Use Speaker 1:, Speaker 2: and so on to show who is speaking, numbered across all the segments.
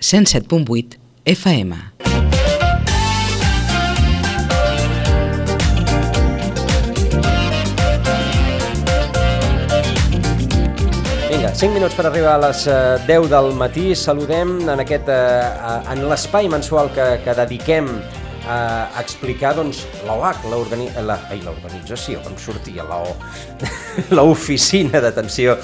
Speaker 1: 107.8 FM.
Speaker 2: Vinga, 5 minuts per arribar a les 10 del matí. Saludem en l'espai mensual que dediquem a explicar l'OAC, l'organització, com sortia l'oficina d'atenció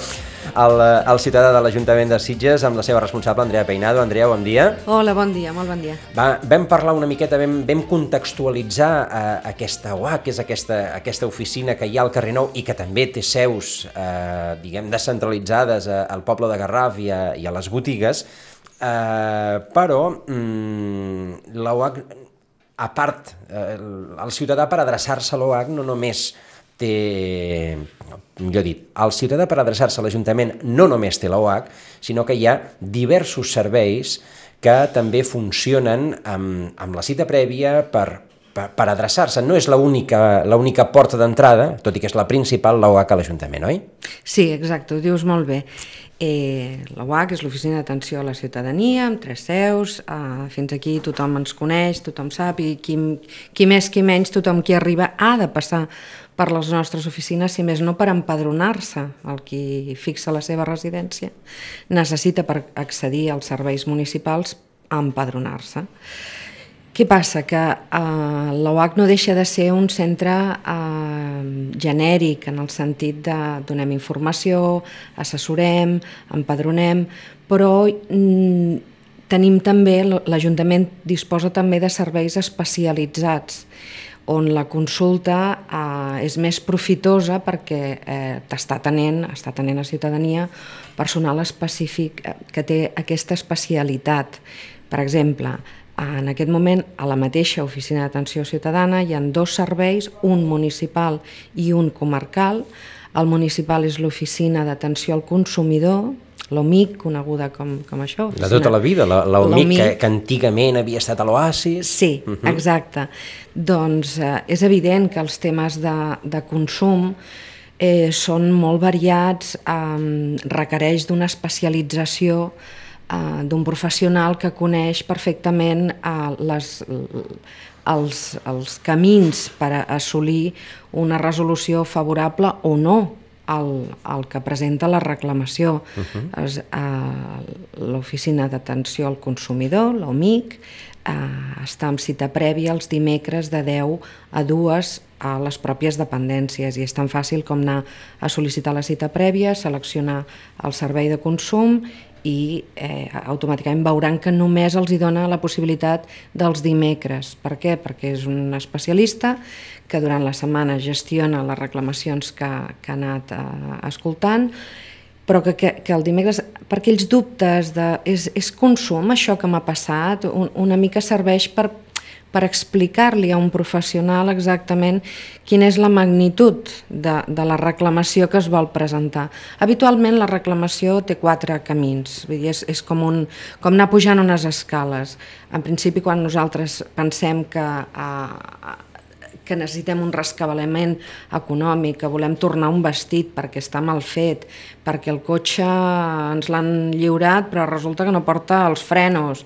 Speaker 2: al ciutadà de l'Ajuntament de Sitges, amb la seva responsable, Andrea Peinado. Andrea, bon dia.
Speaker 3: Hola, bon dia, molt bon dia.
Speaker 2: Vam parlar una miqueta, vam contextualitzar aquesta OAC, que és aquesta oficina que hi ha al carrer Nou i que també té seus, descentralitzades al poble de Garraf i a les botigues, però l'OAC, a part, el ciutadà per adreçar-se a l'OAC no només té, el ciutadà per adreçar-se a l'Ajuntament no només té l'OAC, sinó que hi ha diversos serveis que també funcionen amb la cita prèvia per adreçar-se. No és l'única porta d'entrada, tot i que és la principal, l'OAC a l'Ajuntament, oi?
Speaker 3: Sí, exacte, ho dius molt bé. L'OAC és l'Oficina d'Atenció a la Ciutadania, amb 3 seus, fins aquí tothom ens coneix, tothom sap, i qui més, qui menys, tothom qui arriba ha de passar per les nostres oficines, si més no per empadronar-se. El qui fixa la seva residència necessita, per accedir als serveis municipals, empadronar-se. Què passa? Que l'OAC no deixa de ser un centre genèric, en el sentit de donem informació, assessorem, empadronem, però tenim també, l'Ajuntament disposa també de serveis especialitzats, on la consulta és més profitosa perquè està atenent a ciutadania personal específic que té aquesta especialitat. Per exemple, en aquest moment, a la mateixa oficina d'atenció ciutadana hi ha 2 serveis, un municipal i un comarcal. El municipal és l'oficina d'atenció al consumidor, l'OMIC, coneguda com això.
Speaker 2: De tota la vida, l'OMIC que antigament havia estat a l'Oasis.
Speaker 3: Sí, exacte. Doncs és evident que els temes de consum són molt variats, requereix d'una especialització d'un professional que coneix perfectament els camins per assolir una resolució favorable o no al que presenta la reclamació. L'Oficina d'Atenció al Consumidor, l'OMIC, està amb cita prèvia els dimecres de 10 a 2 a les pròpies dependències, i és tan fàcil com anar a sol·licitar la cita prèvia, seleccionar el servei de consum i automàticament veuran que només els dona la possibilitat dels dimecres. Per què? Perquè és un especialista que durant la setmana gestiona les reclamacions que ha anat escoltant, però que el dimecres, per aquells dubtes de és consum això que m'ha passat, una mica serveix per explicar-li a un professional exactament quina és la magnitud de la reclamació que es vol presentar. Habitualment la reclamació té 4 camins, vull dir, és com anar pujant unes escales. En principi, quan nosaltres pensem que necessitem un rescabalament econòmic, que volem tornar un vestit perquè està mal fet, perquè el cotxe ens l'han lliurat però resulta que no porta els frenos,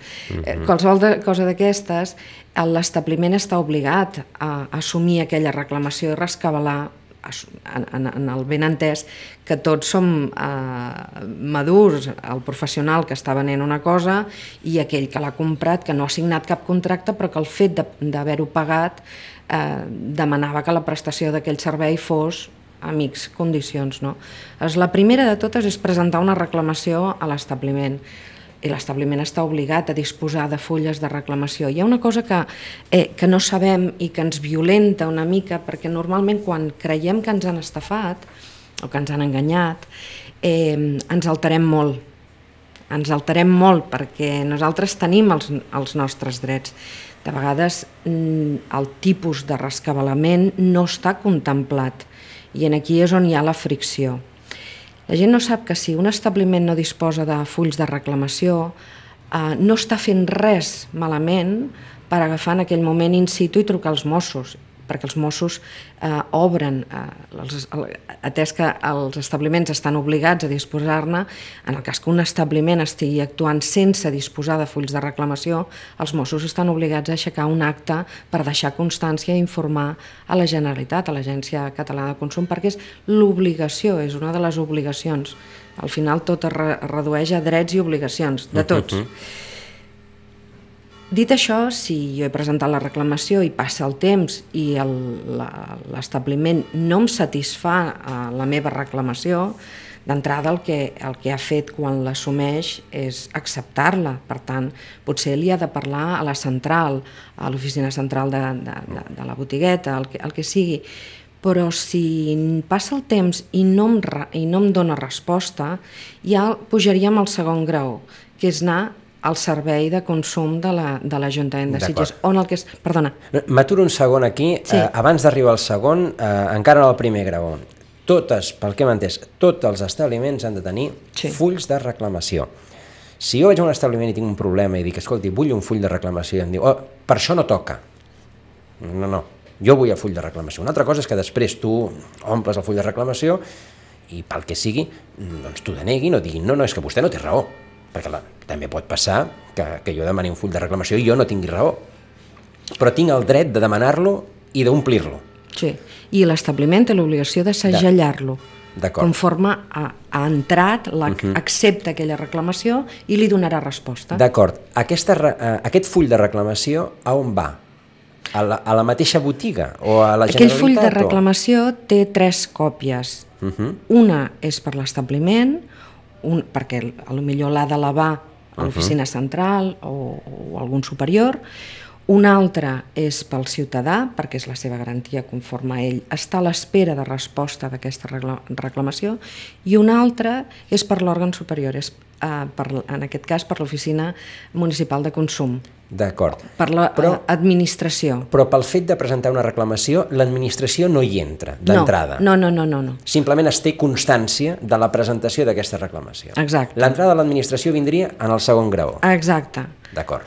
Speaker 3: qualsevol cosa d'aquestes, l'establiment està obligat a assumir aquella reclamació i rescabalar, en el ben entès que tots som madurs, el professional que està venent una cosa i aquell que l'ha comprat, que no ha signat cap contracte, però que el fet d'haver-ho pagat demanava que la prestació d'aquell servei fos a mix condicions. La primera de totes és presentar una reclamació a l'establiment, i l'establiment està obligat a disposar de fulles de reclamació. Hi ha una cosa que no sabem i que ens violenta una mica, perquè normalment quan creiem que ens han estafat o que ens han enganyat, ens alterem molt. Ens alterem molt perquè nosaltres tenim els nostres drets. De vegades el tipus de rescabalament no està contemplat i aquí és on hi ha la fricció. La gent no sap que si un establiment no disposa de fulls de reclamació, no està fent res malament per agafar en aquell moment in situ i trucar als Mossos. perquè els Mossos obren, atès que els establiments estan obligats a disposar-ne, en el cas que un establiment estigui actuant sense disposar de fulls de reclamació, els Mossos estan obligats a aixecar un acte per deixar constància i informar a la Generalitat, a l'Agència Catalana de Consum, perquè és l'obligació, és una de les obligacions. Al final tot es redueix a drets i obligacions, de tots. Dit això, si jo he presentat la reclamació i passa el temps i l'establiment no em satisfà la meva reclamació, d'entrada el que ha fet quan l'assumeix és acceptar-la. Per tant, potser li ha de parlar a la central, a l'oficina central de la botigueta, el que sigui. Però si passa el temps i no em dóna resposta, ja pujaríem al segon grau, que és anar al servei de consum de l'Ajuntament de Sitges. Perdona.
Speaker 2: M'aturo un segon aquí. Sí. Abans d'arribar al segon, encara en el primer grau. Pel que hem entès, tots els establiments han de tenir fulls de reclamació. Si jo vaig a un establiment i tinc un problema i dic, escolti, vull un full de reclamació, i em diu, per això no toca. No, jo vull el full de reclamació. Una altra cosa és que després tu omples el full de reclamació i pel que sigui, doncs t'ho deneguin o diguin, no, és que vostè no té raó. Perquè també pot passar que jo demani un full de reclamació i jo no tingui raó. Però tinc el dret de demanar-lo i d'omplir-lo.
Speaker 3: Sí, i l'establiment té l'obligació de segellar-lo. Conforme ha entrat, accepta aquella reclamació i li donarà resposta.
Speaker 2: D'acord. Aquest full de reclamació a on va? A la mateixa botiga o a la Generalitat?
Speaker 3: Aquell full de reclamació té 3 còpies. Una és per l'establiment, perquè potser l'ha d'elevar a l'oficina central o algun superior. Una altra és pel ciutadà, perquè és la seva garantia conforme ell està a l'espera de resposta d'aquesta reclamació, i una altra és per l'òrgan superior, en aquest cas per l'Oficina Municipal de Consum.
Speaker 2: D'acord.
Speaker 3: Per l'administració.
Speaker 2: Però pel fet de presentar una reclamació, l'administració no hi entra, d'entrada.
Speaker 3: No.
Speaker 2: Simplement es té constància de la presentació d'aquesta reclamació.
Speaker 3: Exacte.
Speaker 2: L'entrada de l'administració vindria en el segon grau.
Speaker 3: Exacte.
Speaker 2: D'acord.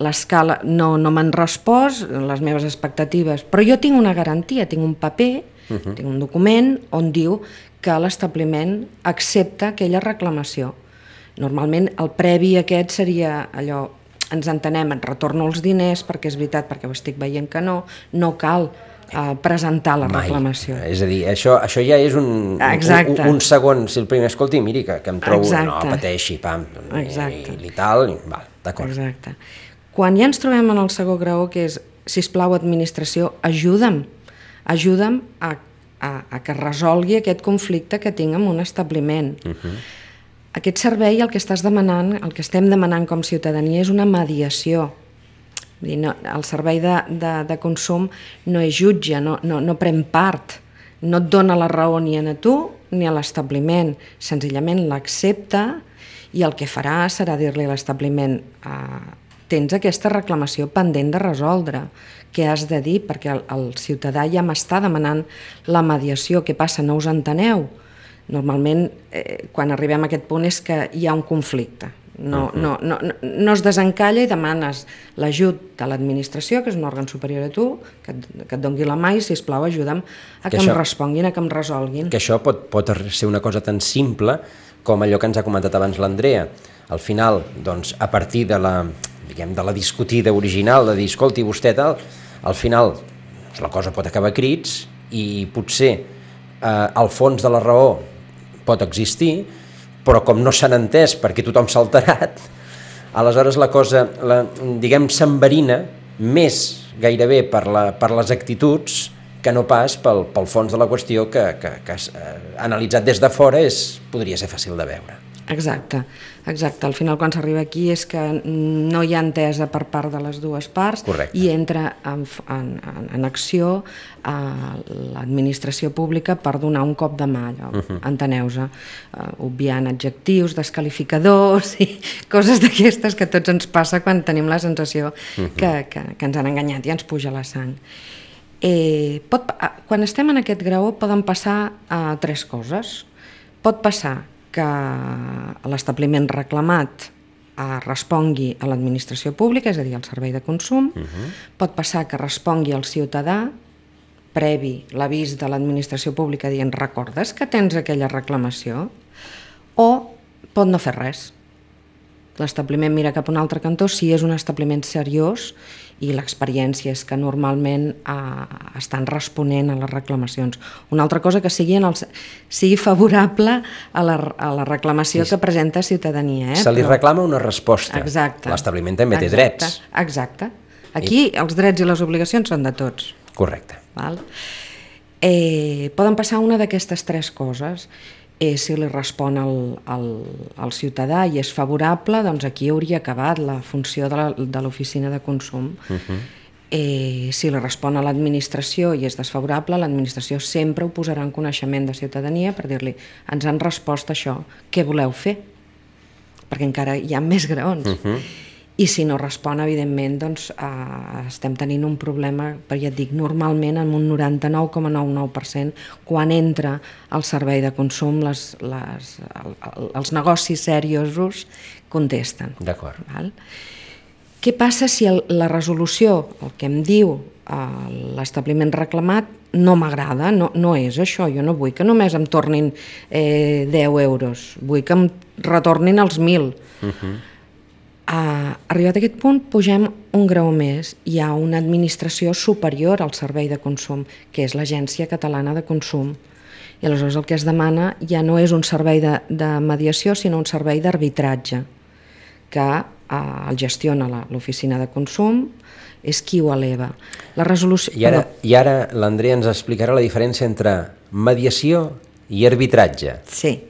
Speaker 3: L'escala no m'han respost, les meves expectatives, però jo tinc una garantia, tinc un paper, tinc un document on diu que l'establiment accepta aquella reclamació. Normalment el previ aquest seria allò, ens entenem, et retorno els diners perquè és veritat, perquè ho estic veient que no cal presentar la reclamació.
Speaker 2: És a dir, això ja és un segon, si el primer, escolti, miri, que em trobo, no pateixi, pam, i tal, d'acord.
Speaker 3: Exacte. Quan ja ens trobem en el segon grau, que és, sisplau, administració, ajuda'm a que resolgui aquest conflicte que tinc amb un establiment. Aquest servei, el que estàs demanant, el que estem demanant com ciutadania és una mediació. El servei de consum no és jutge, no pren part, no et dona la raó ni a tu ni a l'establiment, senzillament l'accepta i el que farà serà dir-li a l'establiment tens aquesta reclamació pendent de resoldre, què has de dir? Perquè el ciutadà ja m'està demanant la mediació, què passa, no us enteneu? Normalment, quan arribem a aquest punt és que hi ha un conflicte. No es desencalla i demanes l'ajut de l'administració, que és un òrgan superior a tu, que et doni la mà i, sisplau, ajuda'm a que em responguin, a que em resolguin.
Speaker 2: Que això pot ser una cosa tan simple com allò que ens ha comentat abans l'Andrea. Al final, doncs, a partir de la discutida original, de dir, escolti, vostè tal, al final la cosa pot acabar a crits i potser al fons de la raó pot existir, però com no s'han entès perquè tothom s'ha alterat, aleshores la cosa, s'enverina més gairebé per les actituds que no pas pel fons de la qüestió que analitzat des de fora podria ser fàcil de veure.
Speaker 3: Exacte. Al final quan s'arriba aquí és que no hi ha entesa per part de les dues parts.
Speaker 2: Correcte.
Speaker 3: I entra en acció l'administració pública per donar un cop de mà, enteneu-se, obviant adjectius, desqualificadors i coses d'aquestes que a tots ens passa quan tenim la sensació que ens han enganyat i ens puja la sang. Quan estem en aquest grau poden passar 3 coses. Pot passar que l'establiment reclamat respongui a l'administració pública, és a dir, al servei de consum, pot passar que respongui al ciutadà previ l'avís de l'administració pública dient recordes que tens aquella reclamació, o pot no fer res. L'establiment mira cap a un altre cantó si és un establiment seriós i l'experiència és que normalment estan responent a les reclamacions. Una altra cosa que sigui favorable a la reclamació que presenta ciutadania.
Speaker 2: Se li reclama una resposta.
Speaker 3: Exacte.
Speaker 2: L'establiment també té drets.
Speaker 3: Exacte. Aquí els drets i les obligacions són de tots.
Speaker 2: Correcte.
Speaker 3: Val? Poden passar una d'aquestes tres coses. Si li respon al ciutadà i és favorable, doncs aquí hauria acabat la funció de l'oficina de consum. Si li respon a l'administració i és desfavorable, l'administració sempre ho posarà en coneixement de ciutadania per dir-li ens han respost això, què voleu fer? Perquè encara hi ha més graons. I si no respon, evidentment, doncs estem tenint un problema, perquè ja et dic, normalment en un 99,99% quan entra al servei de consum els negocis seriosos contesten.
Speaker 2: D'acord.
Speaker 3: Què passa si la resolució, el que em diu l'establiment reclamat, no m'agrada, no és això, jo no vull que només em tornin 10 euros, vull que em retornin els 1.000. Arribat a aquest punt, pugem un grau més. Hi ha una administració superior al servei de consum, que és l'Agència Catalana de Consum. I aleshores el que es demana ja no és un servei de mediació, sinó un servei d'arbitratge, que el gestiona l'oficina de consum, és qui ho eleva. La resolució...
Speaker 2: I ara l'Andrea ens explicarà la diferència entre mediació i arbitratge.
Speaker 3: Sí.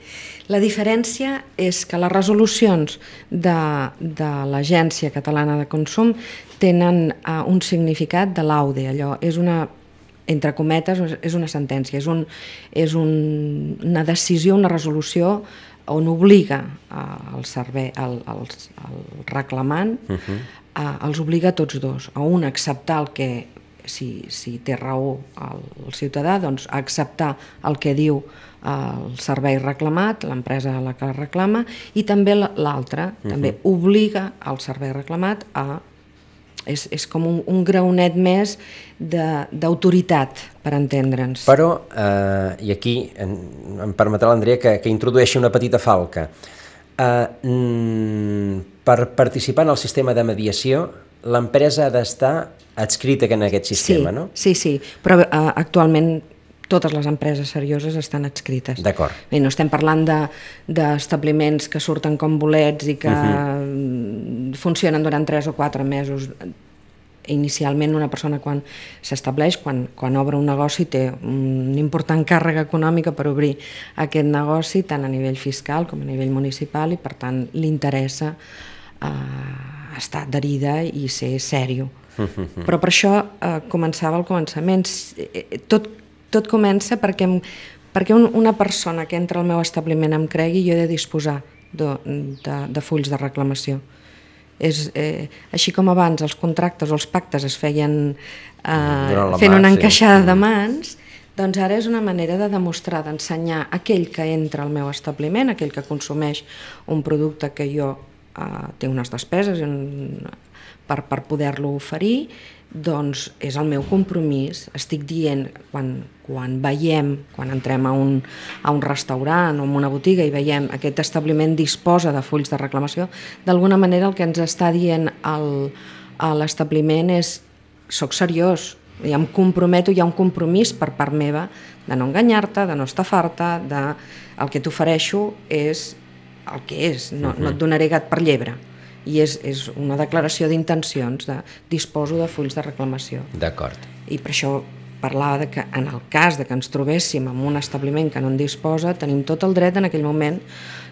Speaker 3: La diferència és que les resolucions de l'Agència Catalana de Consum tenen un significat de laude, allò és una, entre cometes, és una sentència, és una decisió, una resolució on obliga el reclamant, els obliga a tots dos, a un a acceptar el que, si té raó el ciutadà, doncs a acceptar el que diu el servei reclamat, l'empresa a la que reclama, i també l'altre, també obliga el servei reclamat a... És com un graonet més d'autoritat, per entendre'ns.
Speaker 2: Però, i aquí em permetrà l'Andrea que introdueixi una petita falca, per participar en el sistema de mediació, l'empresa ha d'estar adscrita en aquest sistema, no?
Speaker 3: Sí, però actualment totes les empreses serioses estan adscrites.
Speaker 2: D'acord.
Speaker 3: Bé, no estem parlant d'establiments que surten com bolets i que funcionen durant 3 o 4 mesos. Inicialment una persona quan s'estableix, quan obre un negoci, té una important càrrega econòmica per obrir aquest negoci, tant a nivell fiscal com a nivell municipal, i per tant li interessa estar adherida i ser sèrio. Però per això començava al començament. Tot comença perquè una persona que entra al meu establiment em cregui, jo he de disposar de fulls de reclamació. Així com abans els contractes o els pactes es feien fent una encaixada de mans, doncs ara és una manera de demostrar, d'ensenyar a aquell que entra al meu establiment, aquell que consumeix un producte que jo té unes despeses per poder-lo oferir, doncs és el meu compromís. Estic dient, quan entrem a un restaurant o a una botiga i veiem aquest establiment disposa de fulls de reclamació, d'alguna manera el que ens està dient a l'establiment és soc seriós, ja em comprometo, hi ha un compromís per part meva de no enganyar-te, de no estafar-te, el que t'ofereixo és el que és, no et donaré gat per llebre. I és una declaració d'intencions, disposo de fulls de reclamació.
Speaker 2: D'acord.
Speaker 3: I per això parlava de que en el cas de que ens trobéssim en un establiment que no en disposa, tenim tot el dret en aquell moment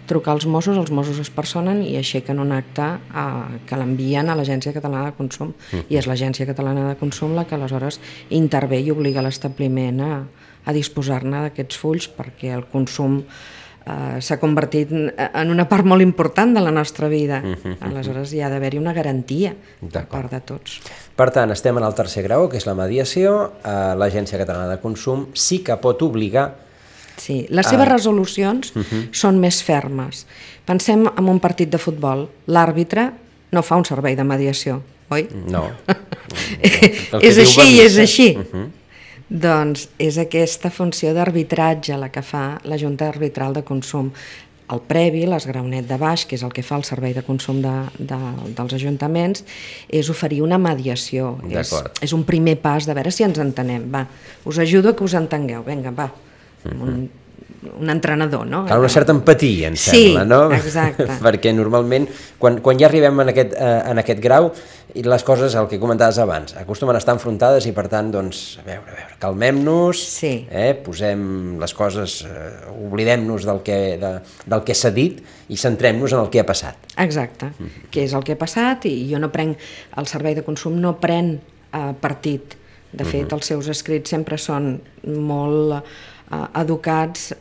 Speaker 3: trucar als Mossos, els Mossos es personen i aixequen un acte que l'envien a l'Agència Catalana de Consum. I és l'Agència Catalana de Consum la que aleshores intervé i obliga l'establiment a disposar-ne d'aquests fulls, perquè el consum s'ha convertit en una part molt important de la nostra vida. Aleshores hi ha d'haver-hi una garantia per part de tots.
Speaker 2: Per tant, estem en el tercer grau, que és la mediació. L'Agència Catalana de Consum sí que pot obligar...
Speaker 3: Sí, les seves resolucions són més fermes. Pensem en un partit de futbol. L'àrbitre no fa un servei de mediació, oi?
Speaker 2: No.
Speaker 3: És així i és així. Doncs és aquesta funció d'arbitratge la que fa la Junta Arbitral de Consum. El previ, l'esgraonet de baix, que és el que fa el servei de consum dels ajuntaments, és oferir una mediació. És un primer pas de veure si ens entenem. Va, us ajudo a que us entengueu. Vinga, va. Un entrenador, no?
Speaker 2: Cal una certa empatia, em sembla, no?
Speaker 3: Sí, exacte.
Speaker 2: Perquè normalment, quan ja arribem en aquest grau, les coses, el que comentaves abans, acostumen a estar enfrontades i, per tant, doncs, a veure, calmem-nos, posem les coses, oblidem-nos del que s'ha dit i centrem-nos en el que ha passat.
Speaker 3: Exacte, que és el que ha passat, i jo no prenc, el servei de consum no pren partit. De fet, els seus escrits sempre són molt educats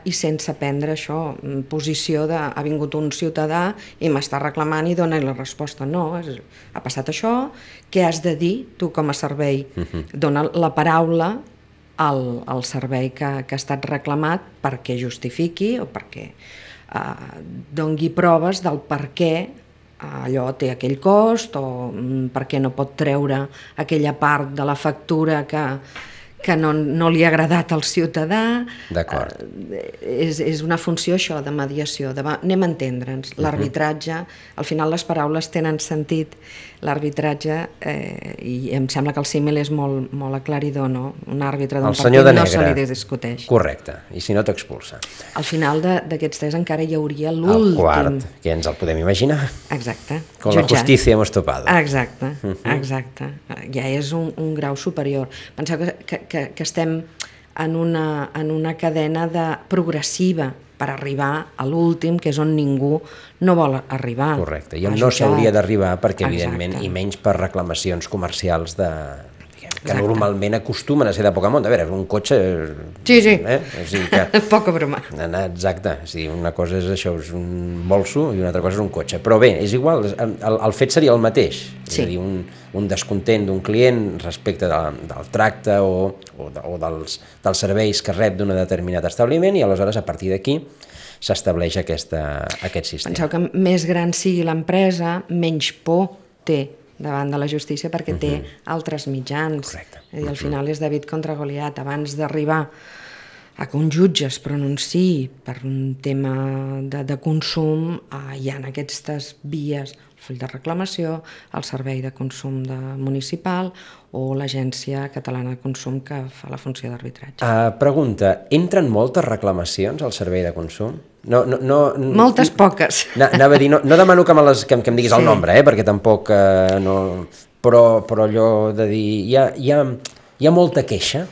Speaker 3: i sense prendre això, posició de ha vingut un ciutadà i m'està reclamant i dona la resposta. No, ha passat això, què has de dir tu com a servei? Dona la paraula al servei que ha estat reclamat perquè justifiqui o perquè doni proves del per què allò té aquell cost o per què no pot treure aquella part de la factura que no li ha agradat al ciutadà.
Speaker 2: D'acord.
Speaker 3: És una funció això de mediació, anem a entendre'ns. L'arbitratge, al final les paraules tenen sentit, l'arbitratge, i em sembla que el símil és molt aclaridor, no? Un àrbitre d'un partit no se li discuteix.
Speaker 2: Correcte, i si no t'expulsa.
Speaker 3: Al final d'aquests tres encara hi hauria l'últim.
Speaker 2: El quart, que ens el podem imaginar.
Speaker 3: Exacte.
Speaker 2: Con la justícia hemos topado.
Speaker 3: Exacte, exacte. Ja és un grau superior. Penseu que estem en una cadena progressiva per arribar a l'últim, que és on ningú no vol arribar.
Speaker 2: Correcte, i on no s'hauria d'arribar perquè, evidentment, i menys per reclamacions comercials que normalment acostumen a ser de poca monta. A veure, un cotxe...
Speaker 3: Sí.
Speaker 2: Poca broma. Exacte, una cosa és això, és un bolso, i una altra cosa és un cotxe. Però bé, és igual, el fet seria el mateix. És a dir, un descontent d'un client respecte del tracte o dels serveis que rep d'un determinat establiment, i aleshores, a partir d'aquí, s'estableix aquest sistema.
Speaker 3: Penseu que més gran sigui l'empresa, menys por té davant de la justícia perquè té altres mitjans.
Speaker 2: Correcte.
Speaker 3: És a dir, al final és David contra Goliat. Abans d'arribar a que un jutge es pronunciï per un tema de consum, hi ha aquestes vies, el full de reclamació, el servei de consum municipal o l'Agència Catalana de Consum que fa la funció d'arbitratge.
Speaker 2: Pregunta, entren moltes reclamacions al servei de consum?
Speaker 3: Moltes poques.
Speaker 2: Anava a dir, no demano que em diguis el nombre, perquè tampoc... Però allò de dir... Hi ha molta queixa?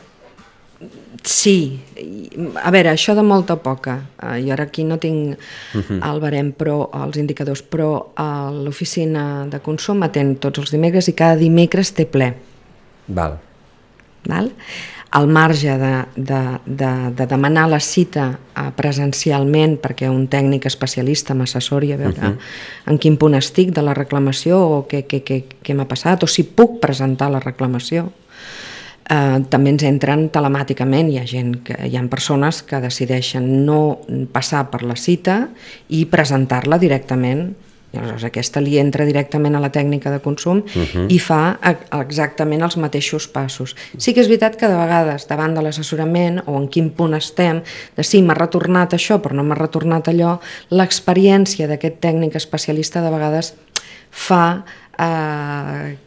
Speaker 3: Sí. A veure, això de molta o poca. Jo ara aquí no tinc el barem, però els indicadors, però l'oficina de consum atén tots els dimecres i cada dimecres té ple.
Speaker 2: Val.
Speaker 3: Al marge de demanar la cita presencialment perquè un tècnic especialista m'assessori a veure en quin punt estic de la reclamació o què m'ha passat o si puc presentar la reclamació. També ens entren telemàticament, hi ha persones que decideixen no passar per la cita i presentar-la directament. Aleshores, aquesta li entra directament a la tècnica de consum i fa exactament els mateixos passos. Sí que és veritat que de vegades, davant de l'assessorament o en quin punt estem, de sí, m'ha retornat això però no m'ha retornat allò, l'experiència d'aquest tècnic especialista de vegades fa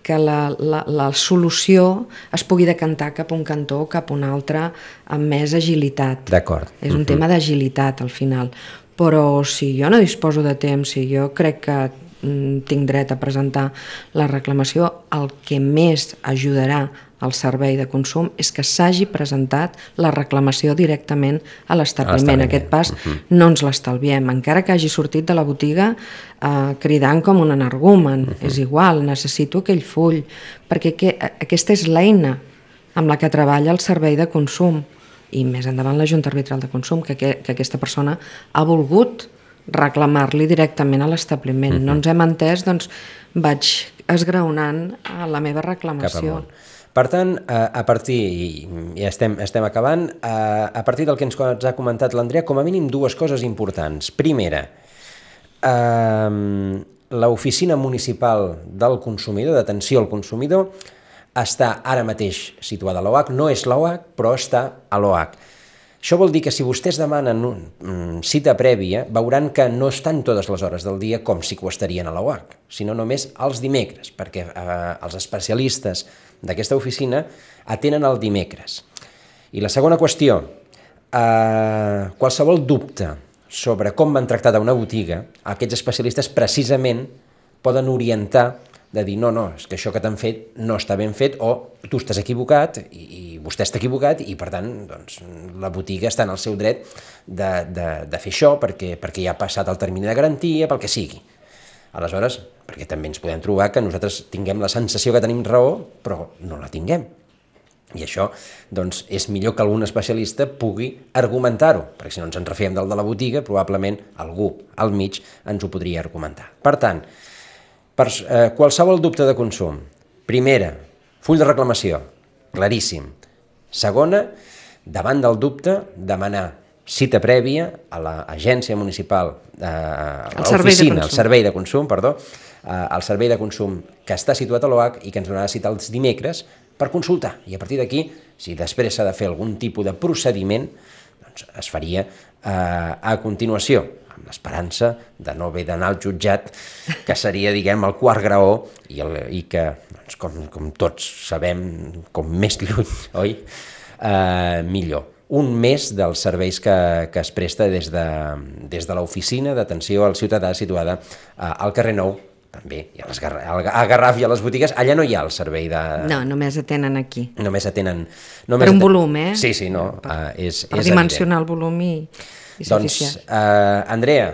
Speaker 3: que la solució es pugui decantar cap a un cantó o cap a un altre amb més agilitat.
Speaker 2: D'acord.
Speaker 3: És un tema d'agilitat al final. Però si jo no disposo de temps, si jo crec que tinc dret a presentar la reclamació, el que més ajudarà al servei de consum és que s'hagi presentat la reclamació directament a l'establiment. Aquest pas no ens l'estalviem, encara que hagi sortit de la botiga cridant com un energumen. És igual, necessito aquell full, perquè aquesta és l'eina amb la que treballa el servei de consum. I més endavant la Junta Arbitral de Consum, que aquesta persona ha volgut reclamar-li directament a l'establiment. No ens hem entès, doncs vaig esgraonant la meva reclamació.
Speaker 2: Per tant, a partir, i estem acabant, a partir del que ens ha comentat l'Andrea, com a mínim dues coses importants. Primera, l'oficina municipal del consumidor, d'atenció al consumidor, està ara mateix situada a l'OH, no és l'OH, però està a l'OH. Això vol dir que si vostès demanen cita prèvia, veuran que no estan totes les hores del dia com si ho estarien a l'OH, sinó només els dimecres, perquè els especialistes d'aquesta oficina atenen el dimecres. I la segona qüestió, qualsevol dubte sobre com van tractar una botiga, aquests especialistes precisament poden orientar de dir no, és que això que t'han fet no està ben fet o tu estàs equivocat i vostè està equivocat i per tant doncs, la botiga està en el seu dret de fer això perquè ja ha passat el termini de garantia, pel que sigui. Aleshores, perquè també ens podem trobar que nosaltres tinguem la sensació que tenim raó però no la tinguem. I això doncs, és millor que algun especialista pugui argumentar-ho, perquè si no ens en refiem del de la botiga, probablement algú al mig ens ho podria argumentar. Per tant, per qualsevol dubte de consum, primera, full de reclamació, claríssim. Segona, davant del dubte, demanar cita prèvia a l'agència municipal, a l'oficina, al servei de consum, al servei de consum que està situat a l'OH i que ens donarà cita els dimecres per consultar. I a partir d'aquí, si després s'ha de fer algun tipus de procediment, doncs es faria a continuació, amb l'esperança de no haver d'anar al jutjat, que seria, diguem, el quart graó i que, doncs, com tots sabem, com més lluny, oi? Millor. Un mes dels serveis que es presta des de l'oficina d'atenció al ciutadà situada al carrer Nou, també, a Garraf i a les botigues, allà no hi ha el servei de...
Speaker 3: No, només atenen aquí.
Speaker 2: Només atenen...
Speaker 3: Per un volum, eh?
Speaker 2: Sí, no, és
Speaker 3: per dimensionar el volum i
Speaker 2: doncs, Andrea,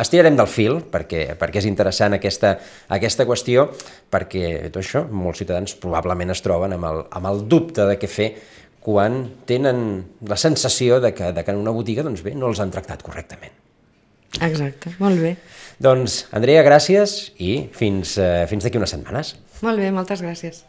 Speaker 2: estirarem del fil perquè és interessant aquesta qüestió, perquè tot això, molts ciutadans probablement es troben amb el dubte de què fer quan tenen la sensació de que en una botiga doncs bé, no els han tractat correctament.
Speaker 3: Exacte, molt bé.
Speaker 2: Doncs, Andrea, gràcies i fins d'aquí unes setmanes.
Speaker 3: Molt bé, moltes gràcies.